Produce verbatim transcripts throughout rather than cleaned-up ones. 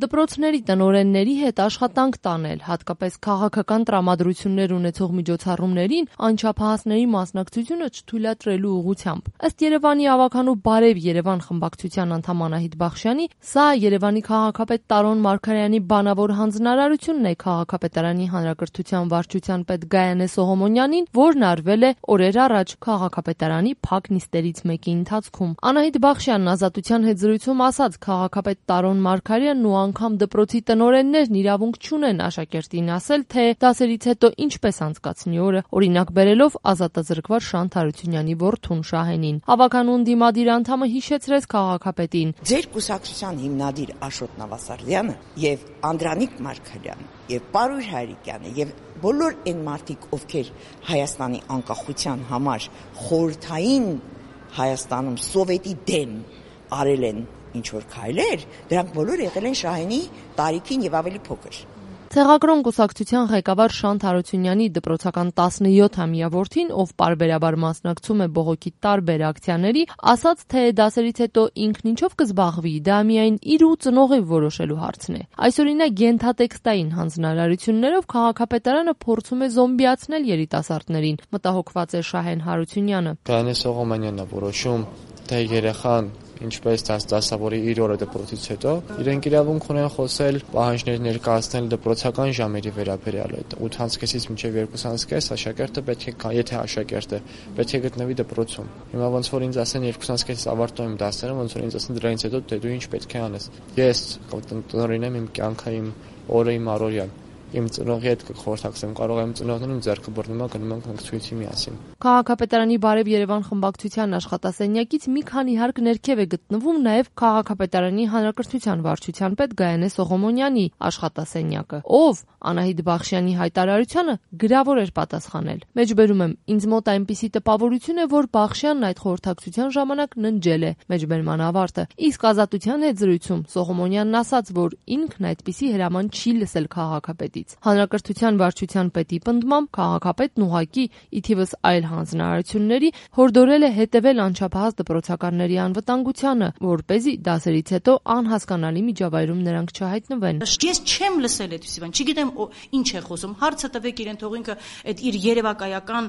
Դպրոցների տնօրենների հետ աշխատանք տանել, հատկապես քաղաքական տրամադրություններ ունեցող միջոցառումներին անչափահասների մասնակցությունը չթույլատրելու ուղղությամբ։ Ըստ Երևանի ավականու Բարև Երևան խմբակցության անդամ Անահիտ Բախշյանի, սա Երևանի քաղաքապետ Տարոն Մարգարյանի բանավոր հանձնարարությունն է քաղաքապետարանի հանրակրթության վարչության պետ Գայանե Սողոմոնյանին, որն արվել է օրեր առաջ քաղաքապետարանի փակ նիստերից մեկի ընթացքում։ Անահիտ Բախշյանն Ազատության հետ զրույցում ասաց, քաղաքապետ Տարոն Մարգարյանն ու անգամ դպրոցի տնօրեններն իրավունք չունեն աշակերտին ասել, թե դասերից հետո ինչպես անցկացնի օրը, օրինակ բերելով ազատազրկված Շանթ Հարությունյանի որդուն Շահենին։ Ավականու ընդդիմադիր անդամը հիշեցրեց քաղաքապետին. Ձեր կուսակցության հիմնադիր Աշոտ Նավասարդյանը եւ Անդրանիկ Մարգարյանը եւ Պարույր Հայրիկյանը եւ բոլոր այն մարդիկ, ովքեր Հայաստանի անկախության համար խորհրդային Հայաստանում սովետի դեմ արել են ինչ որ քայլեր, դրանք բոլորը եղել են Շահենի տարիքին եւ ավելի փոքր։ Ցեղակրոն կուսակցության ղեկավար Շանթ Հարությունյանի դպրոցական տասնյոթամյա որդին, ով պարբերաբար մասնակցում է բողոքի տարբեր ակցիաների, ասաց, թե դասերից հետո ինքն ինչով կզբաղվի, դա միայն իր ու ծնողի որոշելու հարցն է։ Այսօրինակ գենթատեքստային հանձնարարություններով քաղաքապետարանը փորձում է զոմբիացնել երիտասարդներին, մտահոգված է Շահեն Հարությունյանը։ Գայանե Սողոմոնյանն է որոշում, թե երեխան ինչպես դասավորի իր օրը դպրոցից հետո, իրենք իրավունք ունեն խոսել, պահանջներ ներկայացնել դպրոցական ժամերի վերաբերյալ։ ութ կեսից մինչև երկու կես աշակերտը պետք է, եթե աշակերտը պետք է գտնվի դպրոցում։ Հիմա ոնց որ ինձ ասեն երկու կեսից ավարտում եմ դասերը, ոնց որ ինձ ասեն դրանից հետո դե դու ինչ պետք է անես։ Ես տնօրեն եմ իմ կյանքը, իմ օրը, իմ առօրյան։ Իմ ծնողի հետ կխորհրդակցեմ, կարող եմ ծնողներն իմ ձեռքը բռնում, գնում ենք ընկցույցի միասին։ Քաղաքապետարանի Բարև Երևան խմբակցության աշխատասենյակից մի քանի հարկ ներքև է գտնվում նաև քաղաքապետարանի հանրակրթության վարչության պետ Գայանե Սողոմոնյանի աշխատասենյակը, ով Անահիտ Բախշյանի հայտարարությանը գրավոր էր պատասխանել։ Մեջբերում եմ, ինձ մոտ այնպիսի տպավորություն է, որ Բախշյանն այդ խորհրդակցության ժամանակ ննջել է։ Մեջբերման ավարտը։ Իսկ Ազատության հետ զրույցում Սողոմոնյանն ասաց, որ ինքն այդպիսի հրաման չի լսել քաղաքապետից։ Հանրակրթության վարչության պետի պնդմամբ քաղաքապետն ուղղակի ի թիվս այլ հանձնարարությունների հորդորել է հետևել անչափահաս դպրոցականների անվտանգությանը, որպեսզի դասերից հետո անհասկանալի միջավայրում նրանք չհայտնվեն։ Ես չեմ լսել այդպիսի բան, չգիտեմ ինչ է խոսում։ Հարցը տվեք իրեն, թող ինքը այդ իր երևակայական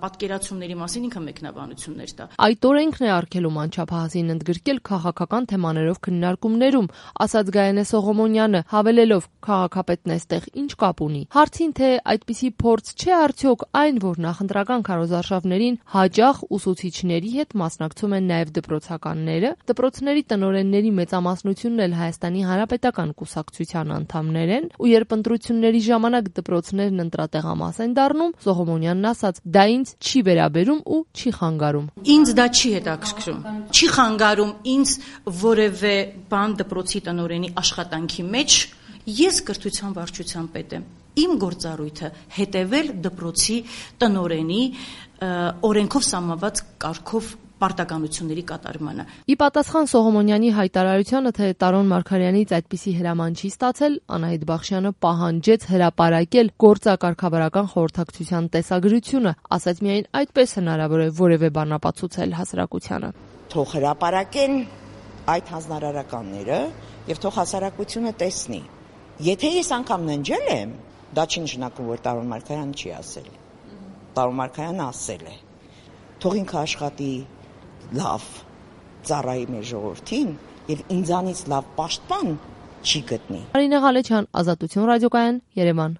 պատկերացումների մասին ինքը մեկնաբանություններ տա։ Այդ օրենքն է արգելում անչափահասին ընդգրկել քաղաքական թեմաներով քննարկումներում, ասաց Գայանե Սողոմոնյանը, հավելելով քաղաքապետն այստեղ ինչ կապ ունի։ Հարցին, թե այդպիսի փորձ չէ արդյոք այն, որ նախընտրական քարոզարշավներին հաճախ ուսուցիչների հետ մասնակցում են նաև դպրոցականները, դպրոցների տնօրենների մեծամասնությունն էլ Հայաստանի Հանրապետական կուսակցության անդամներ են, ու երբ ընտրությունների ժամանակ դպրոցներն ընտրատեղամաս են դառնում, Սողոմոնյանն ասաց, դա ինձ չի վերաբերում ու չի խանգարում։ Ինձ դա չի հետաքրքրում։ Չի խանգարում ինձ որևէ բան դպրոցի տնօրենի աշխատանքի մեջ։ Ես կրթության վարչության պետ եմ։ Իմ գործառույթը հետևել դպրոցի տնօրենի օրենքով սահմանված կարգով պարտականությունների կատարմանը։ Ի պատասխան Սողոմոնյանի հայտարարությանը, թե Տարոն Մարգարյանից այդպիսի հրաման չի ստացել, Անահիտ Բախշյանը պահանջեց հրապարակել գործակարգավարական խորհրդակցության տեսագրությունը, ասաց միայն այդպես հնարավոր է որևէ բան ապացուցել հասարակությանը։ Թող հրապարակեն այդ հանձնարարականները եւ թող հասարակությունը տեսնի։ Եթե ես անգամ ննջել եմ, դա չի նշանակում, որ Տարոն Մարգարյանը չի ասել։ Տարոն Մարգարյանը ասել է։ Թող ինքը աշխատի լավ, ծառայի մեր ժողովրդին եւ ինձանից լավ պաշտպան չի գտնի։ Արինե Ղալեչյան, Ազատություն ռադիոկայան, Երևան։